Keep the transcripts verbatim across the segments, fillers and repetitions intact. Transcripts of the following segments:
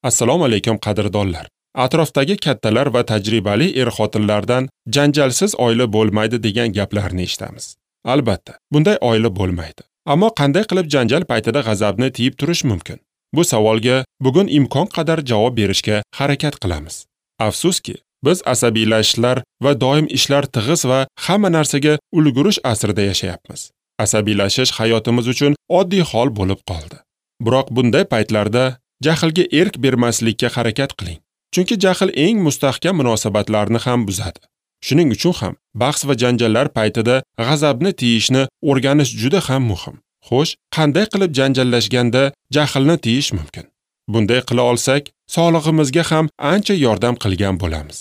Assalomu alaykum qadrdonlar. Atrofdagi kattalar va tajribali er-xotinlardan janjalsiz oila bo'lmaydi degan gaplarni eshitamiz. Albatta, bunday oila bo'lmaydi. Ammo qanday qilib janjal paytida g'azabni tiyib turish mumkin? Bu savolga bugun imkon qadar javob berishga harakat qilamiz. Afsuski, biz asabiylashishlar va doim ishlar tig'iz va hamma narsaga ulgurish asrida yashayapmiz. Asabiylashish hayotimiz uchun oddiy hol bo'lib qoldi. Biroq bunday paytlarda jahlga erk bermaslikka harakat qiling. Chunki jahl eng mustahkam munosabatlarni ham buzadi. Shuning uchun ham bahs va janjallar paytida g'azabni tiyishni o'rganish juda ham muhim. Xo'sh, qanday qilib janjallashganda jahlni tiyish mumkin? Bunday qila olsak, sog'lig'imizga ham ancha yordam qilgan bo'lamiz.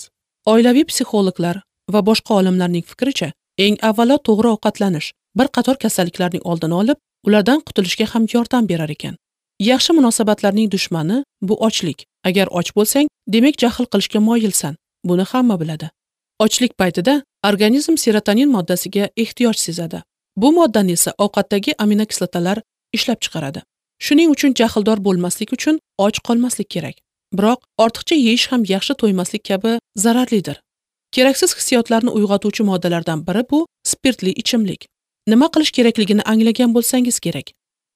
Oilaviy psixologlar va boshqa olimlarning fikricha, eng avvalo to'g'ri ovqatlanish bir qator kasalliklarning oldini olib, ulardan qutulishga ham yordam berar ekan. Yaxshi munosabatlarning dushmani bu ochlik. Agar och bo'lsang, demak jahl qilishga moyilsan. Buni hamma biladi. Ochlik paytida organizm serotonin moddasiga ehtiyoj sezadi. Bu moddani esa ovqatdagi aminokislotalar ishlab chiqaradi. Shuning uchun jahldor bo'lmaslik uchun och qolmaslik kerak. Biroq ortiqcha yeyish ham yaxshi to'ymaslik kabi zararlidir. Keraksiz hissiyotlarni uyg'otuvchi moddalardan biri bu spirtli ichimlik. Nima qilish kerakligini anglagan bo'lsangiz kerak.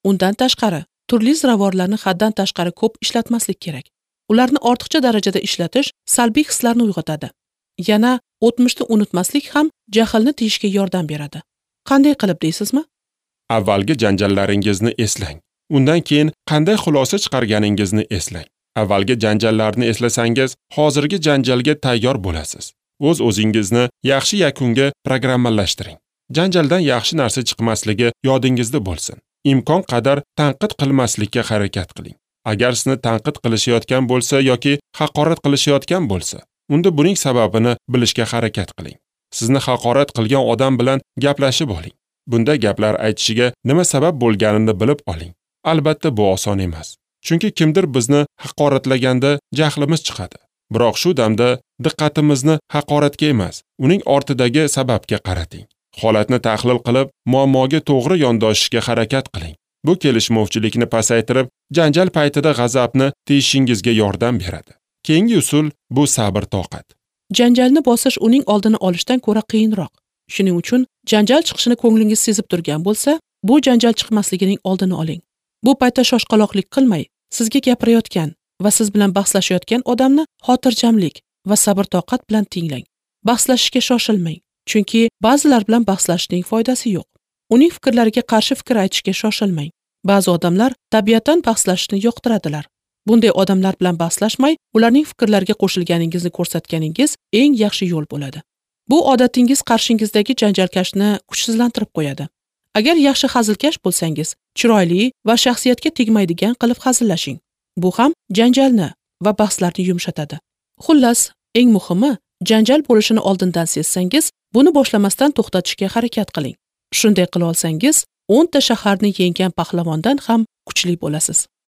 Undan tashqari, turli ziravorlarni haddan tashqari ko'p ishlatmaslik kerak. Ularni ortiqcha darajada ishlatish salbiy hislarni uyg'otadi. Yana o'tmishni unutmaslik ham jahlni tiyishga yordam beradi. Qanday qilib deysizmi? Avvalgi janjallaringizni eslang. Undan keyin qanday xulosa chiqarganingizni eslang. Avvalgi janjallarni eslasangiz, hozirgi janjalga tayyor bo'lasiz. O'z-o'zingizni yaxshi yakunga programmalashtiring. Janjaldan yaxshi narsa chiqmasligi yodingizda bo'lsin. Imkon qadar tanqid qilmaslikka harakat qiling. Agar sizni tanqid qilishayotgan bo'lsa yoki haqorat qilishayotgan bo'lsa, unda buning sababini bilishga harakat qiling. Sizni haqorat qilgan odam bilan gaplashib oling. Bunda gaplar aytishiga nima sabab bo'lganini bilib oling. Albatta bu oson emas. Chunki kimdir bizni haqoratlaganda jahlimiz chiqadi. Biroq shu damda diqqatimizni haqoratga emas, uning ortidagi sababga qarating. Holatni tahlil qilib, muammoga to'g'ri yondoshishga harakat qiling. Bu kelishmovchilikni pasaytirib, janjal paytida g'azabni tiyishingizga yordam beradi. Keyingi usul bu sabr-toqat. Janjalni bosish uning oldini olishdan ko'ra qiyinroq. Shuning uchun janjal chiqishini ko'nglingiz sezib turgan bo'lsa, bu janjal chiqmasligining oldini oling. Bu paytda shoshqaloqlik qilmay, sizga gapirayotgan va siz bilan bahslashayotgan odamni xotirjamlik va sabr-toqat bilan tinglang. Bahslashishga shoshilmang, chunki ba'zilar bilan bahslashishning foydasi yo'q. Uning fikrlariga qarshi fikr aytishga shoshilmang. Ba'zi odamlar tabiatan bahslashishni yoqtiradilar. Bunday odamlar bilan bahslashmay, ularning fikrlariga qo'shilganingizni ko'rsatganingiz eng yaxshi yo'l bo'ladi. Bu odatingiz qarshingizdagi janjalkashni kuchsizlantirib qo'yadi. Agar yaxshi hazilkash bo'lsangiz, chiroyli va shaxsiyatga tegmaydigan qilib hazillashing. Bu ham janjalni va bahslarni yumshatadi. Xullas, eng muhimi, janjal bo'lishini oldindan sezsangiz, buni boshlamasdan to'xtatishga harakat qiling. Shunday qila olsangiz, o'nta shaharni yenggan pahlavondan ham kuchli bo'lasiz.